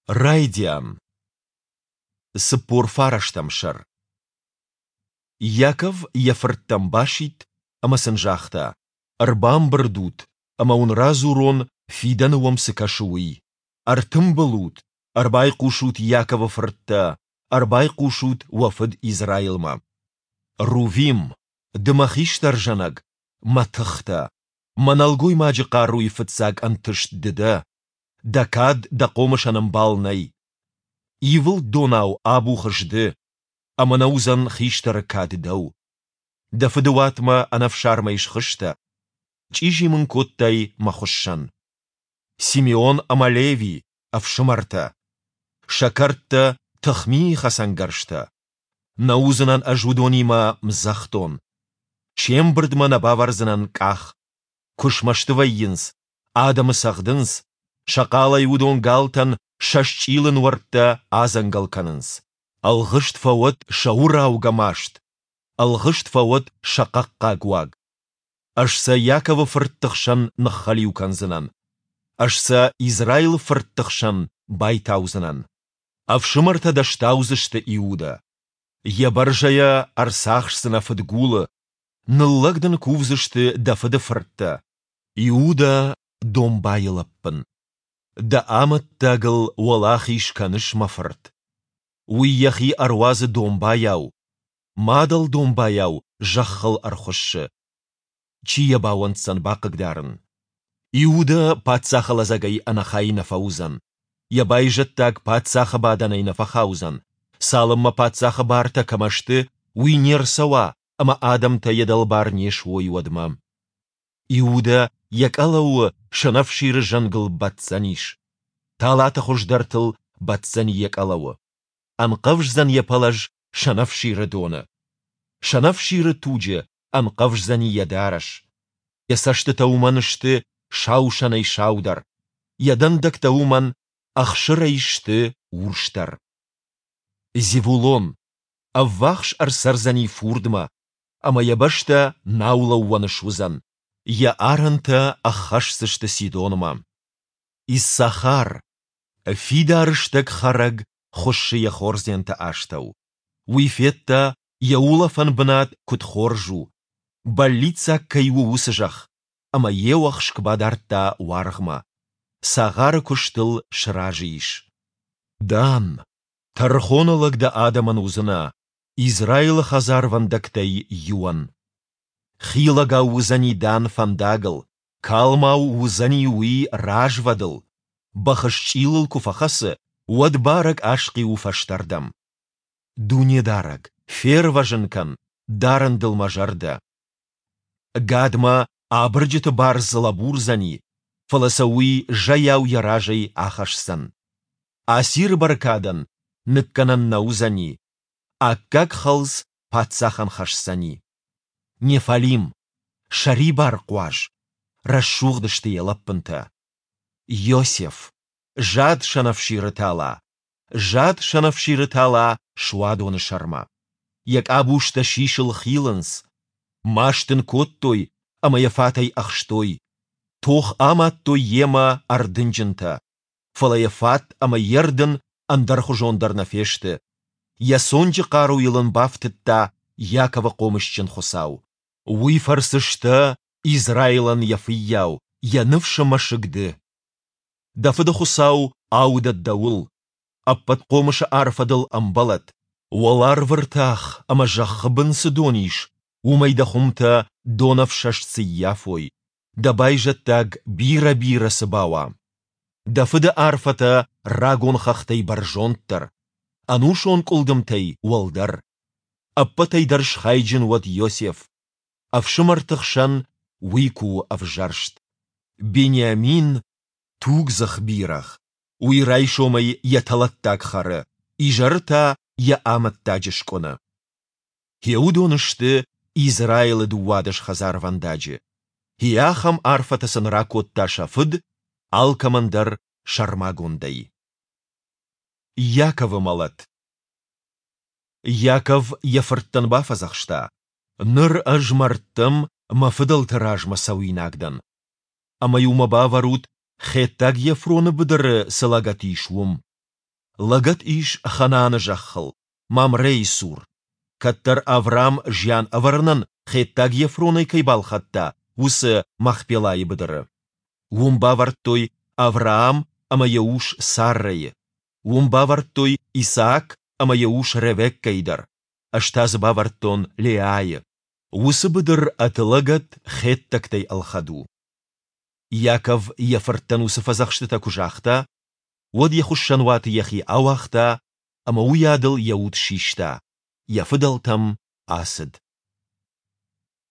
Райдиан. 49 сӕр. Иаков йӕ фырттӕм басидт ӕмӕ сын загъта: Ӕрбамбырд ут, ӕмӕ уын радзурон, фидӕны уӕм цы кӕсы, уый. Ӕртымбыл ут, ӕрбайхъусут Иаковы фырттӕ, ӕрбайхъусут уӕ фыд Израилмӕ. Рувим, ды мӕ хистӕр зӕнӕг, мӕ тых дӕ. Мӕ нӕлгоймаджы хъаруйы фыццаг ӕнтыст ды дӕ. Дӕ кад, дӕ хъомысӕн ӕмбал нӕй. Ивылд донау абухыс ды, ӕмӕ нӕ уыдзӕн хистӕры кад дӕу. Дӕ фыды уатмӕ ӕнӕфсармӕй схызтӕ, чъизи мын кодтай мӕ хуыссӕн. Симеон ӕмӕ Леви, ӕфсымӕртӕ. Сӕ кӕрдтӕ, тыхмийы хӕцӕнгӕрзтӕ. Нӕ уыдзынӕн ӕз уыдонимӕ мдзӕхдон. Се мбырдмӕ нӕ бавӕрдзынӕн къах. Куы смӕсты вӕййынц, адӕмы цӕгъдынц, сӕ хъалӕй уыдон галтӕн сӕ счъилы нуӕрттӕ адзӕнгӕл кӕнынц. Ӕлгъыст фӕуӕд сӕ уыраугӕ маст, ӕлгъыст фӕуӕд сӕ хъӕхъхъаг уаг. Ӕз сӕ Иаковы фыртты хсӕн ныххӕлиу кӕндзынӕн, ӕз сӕ Израилы фыртты хсӕн байтаудзынӕн. Ӕфсымӕртӕ дӕ стаудзысты, Иудӕ. Йӕ бӕрзӕйӕ ӕрцахсдзынӕ фыдгулы, ныллӕг дын кувдзысты дӕ фыды фырттӕ. Иудӕ, домбайы лӕппын. Дӕ амӕттагыл уӕлахиз кӕныс, мӕ фырт. Уый йӕхи ӕруадзы домбайау, мадӕл домбайау зӕххыл ӕрхуыссы. Чи йӕ бауӕнддзӕн бахъыгдарын? Иудӕ паддзахы лӕдзӕгӕй ӕнӕхай нӕ фӕуыдзӕн, йӕ байзӕддаг паддзахы бадӕнӕй нӕ фӕхаудзӕн, цалынмӕ паддзахы бартӕ кӕмӕ сты, уый не рцӕуа ӕмӕ адӕмтӕ йӕ дӕлбар не суой, уӕдмӕ. Иудӕ йӕ къӕлӕуы сӕнӕфсиры зӕнгыл баддзӕнис, талаты хуыздӕртыл баддзӕни йӕ къӕлӕуы. Ӕнхъӕвздзӕн йӕ пӕлӕз сӕнӕфсиры доны. Сӕнӕфсиры туджы ӕнхъӕвздзӕни йӕ дарӕс. Йӕ цӕстытӕ уымӕн сты сау сӕнӕй саудӕр, йӕ дӕндӕгтӕ уымӕн ӕхсырӕй сты урсдӕр. Зевулон ӕввахс ӕрцӕрдзӕни фурдмӕ, ӕмӕ йӕ бӕстӕ наулӕууӕн суыдзӕн, йӕ арӕнтӕ ӕххӕсдзысты Сидонмӕ. Иссахар, фидар стӕг хӕрӕг хуыссы йӕ хордзенты астӕу. Уый федта, йӕ улӕфӕн бынат куыд хорз у, бӕллиццаг кӕй у уыцы зӕхх, ӕмӕ йе уӕхск бадардта уаргъмӕ, цагъары куыстыл сразы ис. Дан, тӕрхоны лӕг дӕ адӕмӕн уыдзынӕ, Израилы хӕдзарвӕндӕгтӕй иуӕн. Хилӕгау уыдзӕни Дан фӕндагыл, калмау уыдзӕни уый развӕдыл, бӕхы счъилыл куы фӕхӕцы, уӕд барӕг асхъиуы фӕстӕрдӕм. Дунедарӕг, фервӕзын кӕн, дарын дыл мӕ зӕрдӕ. Гадмӕ абырджыты бардз лӕбурдзӕни, фӕлӕ сӕ уый зӕйау йӕ разӕй ахӕсдзӕн. Асиры бӕркадӕн ныккӕнӕн нӕ уыдзӕни, аккаг хӕлц паддзахӕн хӕсдзӕни. Неффалим, сӕрибар хъуаз, рӕсугъд сты йӕ лӕппынтӕ. Иосиф, зад сӕнӕфсиры тала, зад сӕнӕфсиры тала суадоны сӕрмӕ. Йӕ къабузтӕ сисыл хилынц. Маст ын кодтой ӕмӕ йӕ фатӕй ӕхстой. Тох амадтой йемӕ ӕрдынджынтӕ. Фӕлӕ йӕ фат ӕмӕ йе рдын ӕндӕрхуызон дӕр нӕ фесты. Йӕ цонджы хъаруйыл ын бафтыдта Иаковы хъомысджын Хуыцау. Уый фӕрцы сдӕ Израилӕн йӕ фыййау, йӕ ныфсы мӕсыг ды. Дӕ фыды Хуыцау аудӕд дӕуыл, Ӕппӕтхъомысы арфӕ дыл ӕмбӕлӕд. Уӕларвы ртах ӕмӕ зӕххы бын цы дон ис, уымӕй дӕ хуымтӕ донӕфсӕст цы ййафой, дӕ байзӕддаг бирӕ-бирӕ цы бауа. Дӕ фыды арфӕтӕ рагон хӕхтӕй бӕрзонддӕр, ӕнусон къуылдымтӕй уӕлдӕр. Ӕппӕтӕй дӕр схайджын уӕд Иосиф, ӕфсымӕрты хсӕн уый куы у ӕвзӕрст. Бениамин, тугдзых бирӕгъ, уый райсомӕй йӕ тӕлӕттаг хӕры, изӕры та йӕ амӕттаджы скъуыны. Гъе уыдон сты Израилы 12 хӕдзарвӕндаджы. Гъе ахӕм арфӕтӕ сын ракодта сӕ фыд, алкӕмӕн дӕр сӕрмагондӕй. Иаковы мӕлӕт. Иаков йӕ фырттӕн бафӕдзӕхста, Ныр ӕз мӕрдтӕм мӕ фыдӕлты размӕ цӕуинаг дӕн. Ӕмӕ-иу мӕ бавӕрут, хеттаг Ефроны быдыры цы лӕгӕт ис, уым. Лӕгӕт ис Ханааны зӕххыл, Мамрейы цур, кӕддӕр Авраам зиан ӕвӕрынӕн хеттаг Ефронӕй кӕй балхӕдта, уыцы Махпелайы быдыры. Уым бавӕрдтой Авраам ӕмӕ йӕ ус Саррӕйы. Уым бавӕрдтой Исаак ӕмӕ йӕ ус Ревеккӕйы дӕр, ӕз та дзы бавӕрдтон Леайы. Уыцы быдыр ӕд лӕгӕт хеттӕгтӕй ӕлхӕд у. Иаков йӕ фырттӕн уыцы фӕдзӕхстытӕ куы загъта, уӕд йӕ хуыссӕнуаты йӕхи ауагъта ӕмӕ уыйадыл йӕ уд систа, йӕ фыдӕлтӕм ацыд.